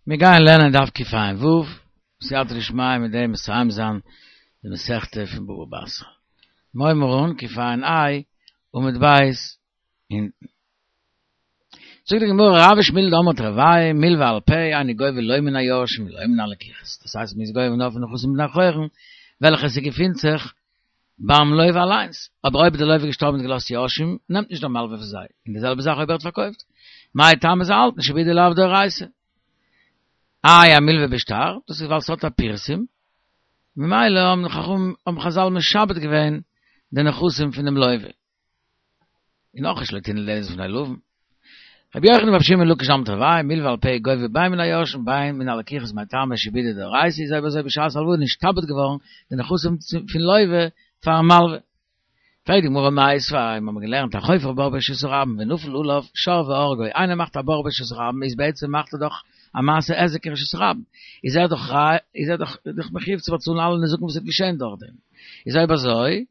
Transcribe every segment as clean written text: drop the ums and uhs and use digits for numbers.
מיר גייען לערנען דף קע"ו, בסייעתא דשמיא מיט דעם מסיים זיין די מסכתא פון בבא בתרא. מיר הייבן אן קע"ה עמוד ב' אונטן. זאגט די גמרא רב ושמואל דאמרי תרוייהו מלוה על פה אינו גובה לא מן היורשים ולא מן הלקוחות, דאס הייסט מ'איז גובה נאר פון נכסים בני חורין וועלכע ס'געפינט זיך ביים לוה אליינס, אבער אויב די לוה איז געשטארבן און געלאזט יורשים, נעמט נישט דער מלווה פון זיי, און די זעלבע זאך אויב ער האט פארקויפט. מאי טעמא זיי האלטן שעבודא לאו דאורייתא. איי א מלווה בשטר, דאס איז ווייל ס'האט א פירסום, ממילא האבן חכמים האבן חזל משעבד געווען די נכסים פונעם לוה. און אויך שלא תנעול דלת בפני לווין. רבי יוחנן ורבי שמעון בן לקיש דאמרי תרוייהו, מלווה על פה גובה בין מן היורשים בין מן הלקוחות מאי טעמא שעבודא דאורייתא איז אויב אזוי בשעת הלוואה נשתעבד געווארן די נכסים פון לווה פארן מלווה. פרעגט די גמרא מיתיבי, מיר האבן געלערנט החופר בור ברשות הרבים ונפל עליו שור והרגו, איינער מאכט א בור ברשות הרבים איז בעצם מאכט ער דאך א מעשה היזק אין רשות הרבים, איז ער דאך איז ער דאך מחויב צו באצאלן אלע נזקים וואס וועט געשען דורכדעם, איז אויב אזוי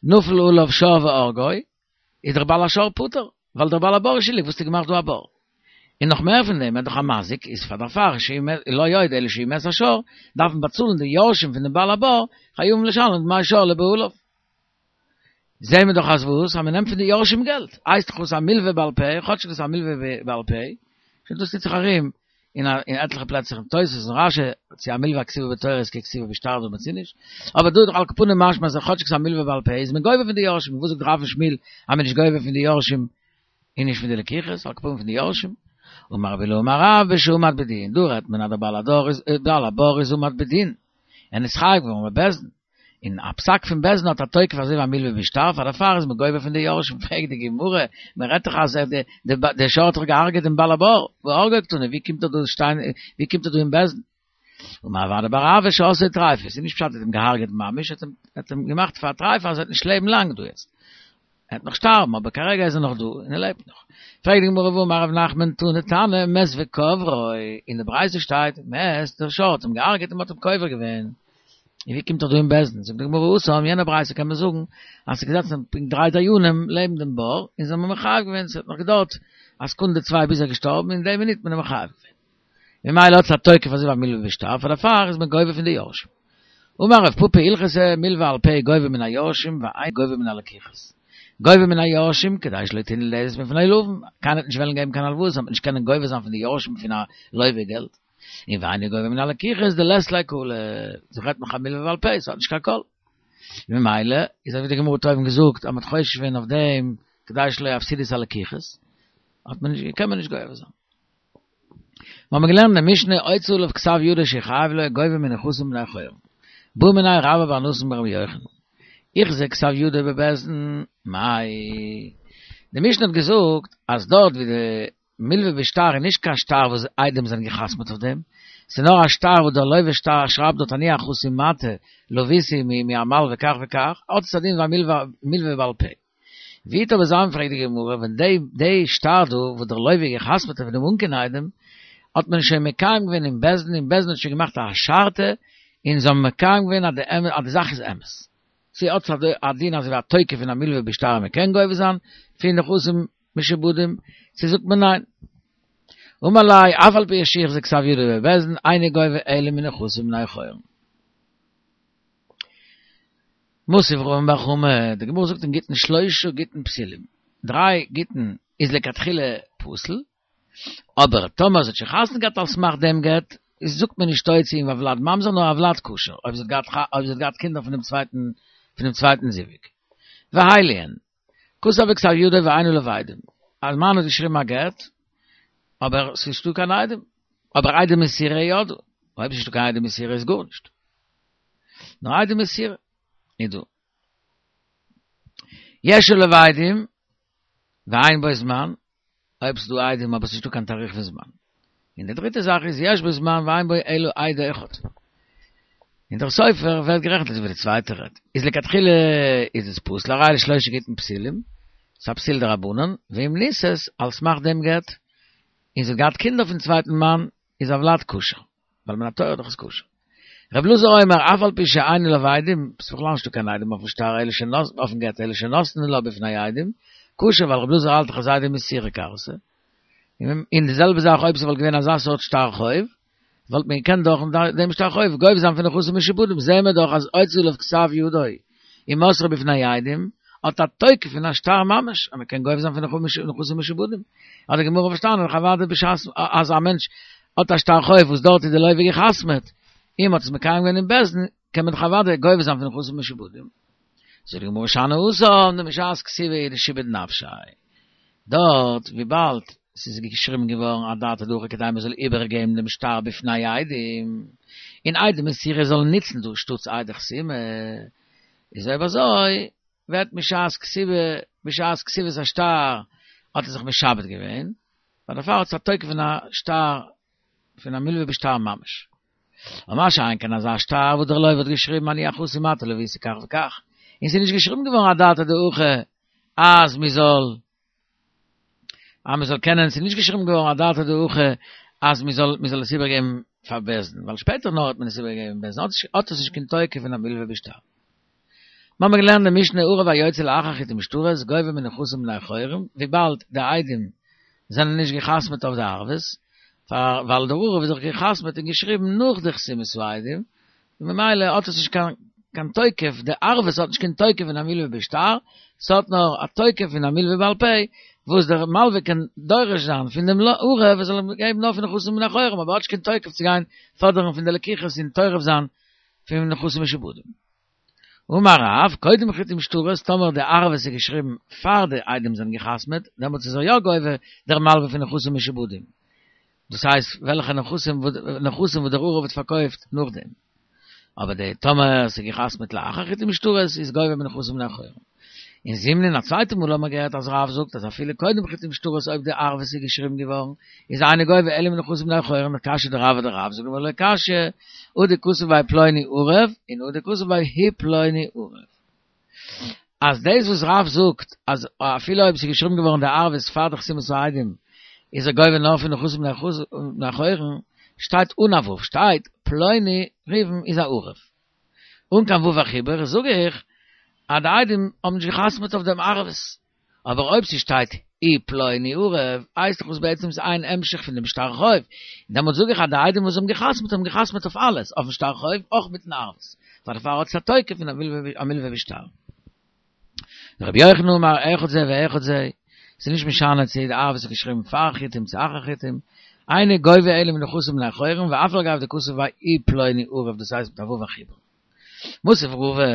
נפל עליו שור והרגו, איז דער בעל השור פטור, ווייל דער בעל הבור איז שולדיג וואס האסטו געמאכט דא א בור. און נאך מער פון דעם, ער איז דאך א מזיק, איז פאר דערפאר לא עוד אלא שאם מת השור, דארף מען באצאלן די יורשים פון דעם בעל הבור, חייבים לשלם דמי שור לבעליו. זעהן מיר דאך אז וואס? אז מען נעמט פון די יורשים געלט. הייסט דאך וואס א מלווה בעל פה, כאטשיג דאס איז א מלווה בעל פה, שוין דאס טוט זיך ארום אין אין עטליכע פלעצער אין תוס' און רשי, צו א מלווה הכתובה בתורה איז ככתובה בשטר דמי צו נישט, אבער דא איז דאך על כל פנים משמע אז כאטשיג ס'איז א מלווה בעל פה איז מען גובה פון די יורשים, וואס זאגט רב און שמואל אז מען איז נישט גובה פון די יורשים און נישט פון די לקוחות, על כל פנים פון די יורשים. אמר רבי אילעא אמר רב בשעמד בדין, דא רעדט מען אז דער בעל הדור איז בעל הבור איז עמד בדין, ער איז נתחייב געווארן בבית דין, און א פסק פון בית דין האט א תוקף אזוי ווי א מלווה בשטר, פאר דערפאר איז מען גובה פון די יורשים, פרעגט די גמרא, מען רעדט דאך אז דער שור האט דאך געהארגעט דעם בעל הבור, והרגו קתני, ווי קומט ער דא שטיין, ווי קומט ער דא אין בית דין? אמר רב אדא בר אהבה שעשאו טריפה, ס'איז נישט פשט ער האט אים געהארגעט ממש, ער האט אים געמאכט פאר א טריפה אז ער וועט נישט לעבן לאנג דא יעצט. ער וועט נאך שטארבן, אבער כרגע איז ער נאך דא און ער לעבט נאך. פרעגט די גמרא והאמר רב נחמן תני תנא מת וקברו, אין די ברייתא שטייט מת, דער שור האט אים געהארגעט און מען האט אים קובר געווען. און ווי קומט ער דא אין בית דין? זאגט די גמרא התם, יענע ברייתא קען מען זאגן אז ס'איז געזעצן פונקט דריי דיינים לעבן דעם בור און זיי האבן אים מחייב געווען, ס'האט נאך געדויערט א סעקונדע צוויי ביז ער איז געשטארבן און אין די מינוט האט מען אים מחייב געווען. ממילא האט עס א תוקף אזוי ווי א מלווה בשטר, פאר דערפאר איז מען גובה פון די יורשים. אמר רב פפא הלכתא מלווה על פה גובה מן היורשים ואין גובה מן הלקוחות. גובה מן היורשים כדי שלא תנעול דלת בפני לווין, קיינער וועט נישט וועלן געבן קיין הלוואות אז מען וועט נישט קענען גובה זיין פון די יורשים פון א לווה געלט. און ואינו גובה מן הלקוחות דלית ליה קלא, דא רעדט מען א מלווה בעל פה, ס'האט נישט קיין קול. ממילא איז אזוי ווי די גמרא האט אויבן געזאגט אז מען האט חושש געווען אויף דעם כדי שלא יפסידו את הלקוחות, האט מען נישט קען מען נישט גובה זיין. מיר האבן געלערנט אין די משנה הוציא עליו כתב ידו שהוא חייב לו גובה מנכסים בני חורין. בעא מיניה רבה בר נתן מרבי יוחנן. הוחזק כתב ידו בבית דין, מאי. די משנה האט געזאגט אז דארט ווי די מלווה בשטר איז נישט קיין שטר וואס עדים זענען גע'חתמ'ט אויף דעם, ס'איז נאר א שטר וואס דער לווה שטר שרייבט דארט אני החתום מטה לוויתי מהמלווה כך וכך, האט עס א דין ווי א מלווה בעל פה. ווי טוב איז זיין פרעגט די גמרא ווען די די שטר דא וואס דער לווה גע'חתמ'ט אויף דעם אן קיין עדים האט מען שוין מקיים געווען אין בית דין און בית דין האט שוין געמאכט א השערתא און זיי האבן מקיים געווען אז די אז די זאך איז אמת צו האט עס א דין אזוי ווי א תוקף פון א מלווה בשטר מען קען גובה זיין פון נכסים משועבדים צו זאגט מען ניין אמר ליה אף על פי שהוחזק כתב ידו בבית דין אינו גובה אלא מנכסים בני חורין. מתיב רמי בר חמא, די גמרא זאגט אין גיטין שלושה גיטין פסולים, דריי גיטין איז לכתחילה פסול, אבער טאמער זי האט שוין חתונה געהאט על סמך דעם גט, איז זאגט מען נישט תוציא אים הולד ממזר נאר הולד כשר, אויב זי האט געהאט אויב זי האט געהאט קינדער פון דעם צווייטן פון דעם צווייטן זיווג. ואלו הן, כתב בכתב ידו ואין עליו עדים, א מאן האט געשריבן א גט, אבער ס'איז נישטא קיין עדים, אבער עדי מסירה יא דא, אויב ס'נישטא קיין עדי מסירה איז גארנישט. נאר עדי מסירה איז דא. יש עליו עדים ואין בו זמן, אויב ס'איז דא עדים אבער ס'נישטא קיין תאריך פון זמן. און די דריטע זאך איז יש בו זמן ואין בו אלא עד אחד. און דער סופר ווערט גערעכנט אזוי ווי די צווייטע רעדט. איז לכתחילה איז עס פסול, הרי אלו שלושה גיטין פסולים, ס'איז א פסול דרבנן, ואם נישאת, על סמך דעם גט, און זי האט געהאט קינדער פון צווייטן מאן, איז הולד כשר. ווייל מן התורה דאך איז כשר. רב אלעזר אומר אף על פי שאין עליו עדים, ס'איז בכלל נישטא קיין עדים אויפן שטר אלא שנתנו אויפן גט אלא שנתנו לה בפני עדים, כשר ווייל רב אלעזר האלט דאך אז עדי מסירה כרתי. און די זעלבע זאך אויב ס'וואלט געווען אזא סארט שטר חוב, וואלט מען געקענט דורך דעם שטר חוב גובה זיין פון נכסים משועבדים, זעהן מיר דאך אז הוציא עליו כתב ידו ומסרו בפני עדים, האט א תוקף פון א שטר ממש, אז מען קען גובה זיין פון נכסים משועבדים. האט די גמרא פארשטאנען דאך אוודאי בשעת אז א מענטש האט א שטר חוב וואס דארט איז די לוה גע'חתמ'עט, און מ'האט עס מקיים געווען אין בית דין, קען מען דאך אוודאי גובה זיין פון נכסים משועבדים. זאגט די גמרא שאני התם דמשעת כתיבה הוא דשעביד נפשיה. דארט וויבאלד ס'איז געשריבן געווארן אדעתא דהכי כדי מ'זאל איבערגעבן דעם שטר בפני עדים, און עדי מסירה זאלן נוצן דא שטאטס עדי חתימה, איז אויב אזוי ווערט משעת כתיבה, בשעת כתיבת השטר האט ער זיך משעבד געווען, ווייל דערפאר האט עס א תוקף פון א שטר פון א מלווה בשטר ממש. אבער מה שאין כן אזא שטר וואס דער לוה האט געשריבן אני החתום מטה לויתי כך וכך, און ס'איז נישט געשריבן געווארן אדעתא דהכי אז מ'זאל אז מ'זאל קענען, ס'איז נישט געשריבן געווארן אדעתא דהכי אז מ'זאל מ'זאל עס איבערגעבן פאר בית דין, ווייל שפעטער נאר האט מען עס איבערגעגעבן בית דין, האט עס נישט קיין תוקף פון א מלווה בשטר. מיר האבן געלערנט די משנה ערב היוצא לאחר חיתום שטרות גובה מנכסים בני חורין, וויבאלד די עדים זענען נישט גע'חתמ'עט אויף די ערבות, פאר ווייל דער ערב איז דאך גע'חתמ'עט און געשריבן נאך די חתימת העדים, ממילא האט עס נישט קיין קיין תוקף, די ערבות האט נישט קיין תוקף פון א מלווה בשטר, ס'האט נאר א תוקף פון א מלווה בעל פה, וואס דער מלווה קען דורש זיין פון דעם ערב ער זאל אים געבן נאר פון נכסים בני חורין, אבער האט נישט קיין תוקף צו גיין פאדערן פון די לקוחות און טורף זיין פון נכסים משועבדים. אמר רב, קודם חיתום שטרות, טאמער די ערבות איז געשריבן פאר די עדים זענען גע'חתמ'עט, דעמאלטס איז ער יא גובה דער מלווה פון נכסים משועבדים. דאס הייסט וועלכע נכסים נכסים וואס דער ערב האט פארקויפט נאכדעם. אבער די טאמער ס'איז גע'חתמ'עט לאחר חיתום שטרות איז גובה מנכסים בני חורין. און זימנין א צווייטע מאל האט מען געהערט אז רב זאגט אז אפילו קודם חיתום שטרות אויב די ערבות איז געשריבן געווארן איז אינו גובה אלא מנכסים בני חורין קשיא דרב אדרב זאגט די גמרא לא קשיא הא דכתב ביה פלוני ערב און הא דכתב ביה הוא פלוני ערב. אז דאס וואס רב זאגט אז אפילו אויב ס'איז געשריבן געווארן די ערבות פאר די חתימת העדים איז ער גובה נאר פון נכסים בני חורין, שטייט אן א ו' שטייט פלוני ראובן איז א ערב. אן קיין ו' החיבור זאג איך אז די עדים האבן נישט געחתמעט אויף דעם ערבות. אבער אויב ס'שטייט הוא פלוני ערב הייסט דאך עס בעצם איז איין המשך פון דעם שטר חוב, און דעמאלט זאג איך אז די עדים וואס האבן געחתמעט האבן געחתמעט אויף אלעס, אויפן שטר חוב אויך מיטן ערבות, פאר דערפאר האט עס א תוקף פון א מלווה בשטר. רבי יוחנן אמר אחד זה ואחד זה, ס'איז נישט משנה צו די ערבות איז געשריבן פאר חיתום צו אחר חיתום, אינו גובה אלא מנכסים בני חורין ואף על גב דכתב ביה הוא פלוני ערב דאס הייסט מיט א ו' החיבור. מתיב רבא,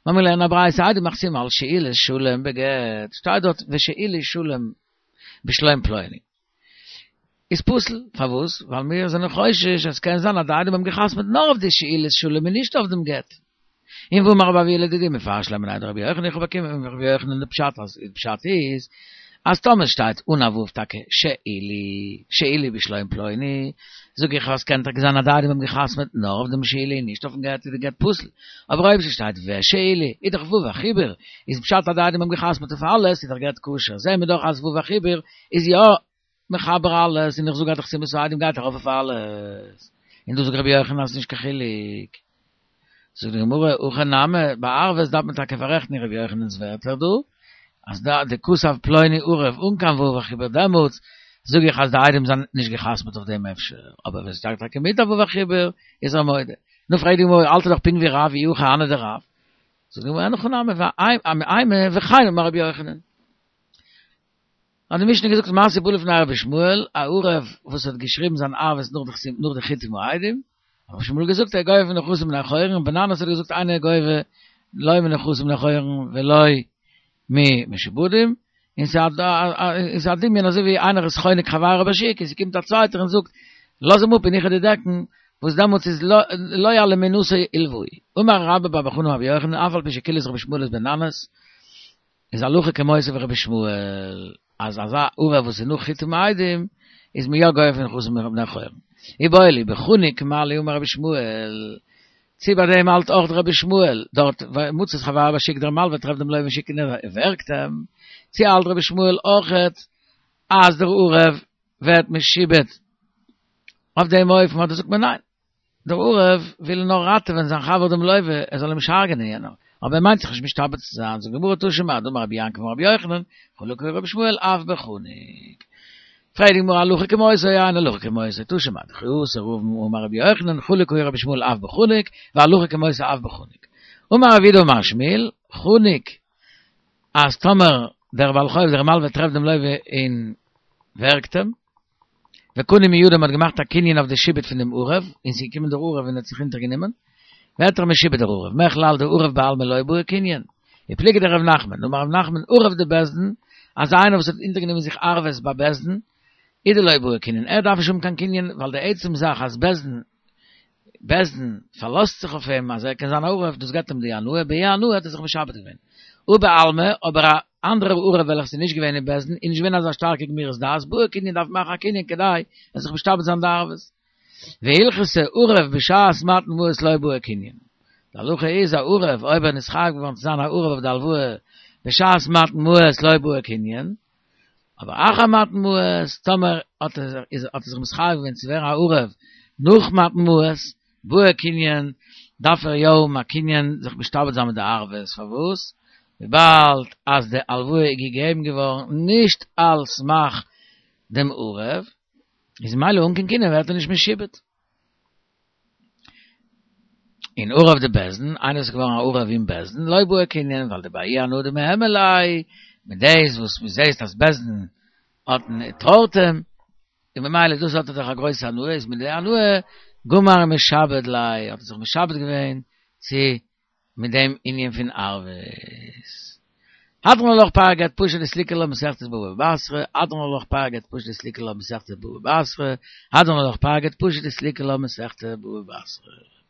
מיר האבן געלערנט א ברייתא עדים מחתימים על שאילת שלום בגט, שטייט דארט ושאילת שלום בשלום פלוני. איז פסול, פארוואס? ווייל מיר זענען חושש אז ס'קען זיין אז די עדים האבן געחתמעט נאר אויף די שאילת שלום און נישט אויף דעם גט. און והאמר רבי אבהו לדידי מפרש לה מיניה דרבי יוחנן איך האב באקומען פון רבי יוחנן די פשט אז די פשט איז אז טאמער שטייט אן א ו' טאקע שאילי שאילי בשלום פלוני זאג איך אז קען טאקע זיין אז די עדים האבן געחתמעט נאר אויף דעם שאילי און נישט אויפן גט איז די גט פסול אבער אויב ס'שטייט ושאילי איז דאך ו' החיבור איז פשט אז די עדים האבן געחתמעט אויף אלעס איז דאך גט כשר זעהן מיר דאך אז ו' החיבור איז יא מחבר אלעס און איך זאג אז די חתימת העדים גייט ארויף אויף אלעס און דא זאגט רבי יוחנן אז ס'נישט קיין חילוק זאגט די גמרא הכא נמי ביי ערבות דארף מען טאקע פאררעכטן רבי יוחנן'ס ווערטער דא אז דא דכתב פלוני ערב אן קיין ו' החיבור דעמאלטס זאג איך אז די עדים זענען נישט געחתמעט אויף דעם אפשר אבער ווען ס'שטייט טאקע מיט א ו' החיבור איז ער מודה נו פרעגט די גמרא האלט ער דאך פונקט ווי רב אי הכי הני דרב זאגט די גמרא אין הכי נמי אימא וכן אמר רבי יוחנן האט די משנה געזאגט מעשה ובא לפני רבי ישמעאל, א ערב וואס האט געשריבן זיין ערבות נאך די חיתום העדים, האט רבי ישמעאל געזאגט ער גובה מנכסים בני חורין, און בן ננס האט געזאגט אינו גובה לא מנכסים בני חורין ולא ממשועבדים, און ס'איז א דמיון אזוי ווי איינער איז חונק חברו בשוק און ס'קומט א צווייטער און זאגט לאז אים אפ און איך וועל דיר דעקן, וואס דעמאלטס איז לא על אומנותו הלוהו. אמר רבה בר בר חנה אמר רבי יוחנן אף על פי שקילס רבי ישמעאל את בן ננס, איז הלכה כמותו ווי רבי ישמעאל, אז אזא ערב וואס איז נאך חיתום העדים, איז מען יא גובה פון נכסים בני חורין. איבעיא להו בחניק מה לי אמר רבי ישמעאל, צו ביי דעם האלט אויך רבי ישמעאל, דארט מצא את חברו בשוק דער מלווה טרעפט דעם לווה אין שוק און ער ווערגט אים, צו האלט רבי ישמעאל אויכעט אז דער ערב ווערט משועבד אויף דעם אופן אדער זאגט מען ניין? דער ערב וויל נאר ראטעווען זיין חבר דעם לווה, ער זאל אים נישט הרג'נען יענער, אבער ער מיינט זיך נישט משתעבד צו זיין, זאגט די גמרא תא שמע, דאמר רבי יעקב אמר רבי יוחנן, חלוק רבי ישמעאל אף בחניק. פרעגט די גמרא הלכה כמותו אין הלכה כמותו תא שמע דכי אתא רבין אמר רבי יוחנן חלוק היה רבי ישמעאל אף בחנוק והלכה כמותו אף בחנוק אמר רב יהודה אמר שמואל חנוק אז טאמער דער בעל חוב דער מלווה טרעפט דעם לוה און ווערגט אים וקנו מידו מ'האט געמאכט א קנין אויף די שעבוד פון דעם ערב און ס'איז געקומען דער ערב און האט זיך אונטערגענומען ווערט ער משועבד דער ערב מכלל דערב בעלמא לא בעי קנין ופליגא דרב נחמן, דאמר רב נחמן ערב דבית דין, אז איינער וואס האט אונטערגענומען זיך ערבות ביי בית דין, איז דלא בעי קנין, ער דארף נישט האבן קיין קנין, ווייל די עצם זאך אז בית דין, בית דין פארלאזט זיך אויף אים אז ער קען זיין א ערב, דאס געבט אים די הנאה, בההיא הנאה האט ער זיך משעבד געווען. הא בעלמא, אבער א אנדערער ערב וועלכעס איז נישט געווען אין בית דין, איז נישט געווען אזא שטארקע גמירות דעת, בעי קנין דארף מאכן א קנין כדי ער זיך משתעבד זיין די ערבות. והלכתא ערב בשעת מתן מעות לא בעי קנין. די הלכה איז א ערב אויב ער איז נתחייב געווארן צו זיין א ערב אויף די הלוואה בשעת מתן מעות לא בעי קנין, אבער אחר מתן מעות טאמער האט ער איז האט ער זיך מתחייב געווען צו ווערן א ערב נאך מתן מעות בעי קנין דארף ער יא האבן א קנין זיך משתעבד זיין מיט די ערבות, פארוואס? וויבאלד אז די הלוואה איז געגעבן געווארן נישט על סמך דעם ערב, איז ממילא אן קיין קנין ווערט ער נישט משועבד. און ערב דבית דין, איינער איז געווארן א ערב אין בית דין, לא בעי קנין, ווייל דבההיא הנאה דמהימא ליה, מיט דאס וואס מען זעהט אז בית דין האט טרויט אים, און ממילא דאס האט ער דאך א גרויסע הנאה, איז מיט די הנאה גמר משעבד ליה, האט ער זיך משעבד געווען צו מיט דעם ענין פון ערבות. הדרן עלך פרק גט פשט דסליקא לה מסכת בבא בתרא, הדרן עלך פרק גט פשט דסליקא לה מסכת בבא בתרא, הדרן עלך פרק גט פשט דסליקא לה מסכת בבא בתרא.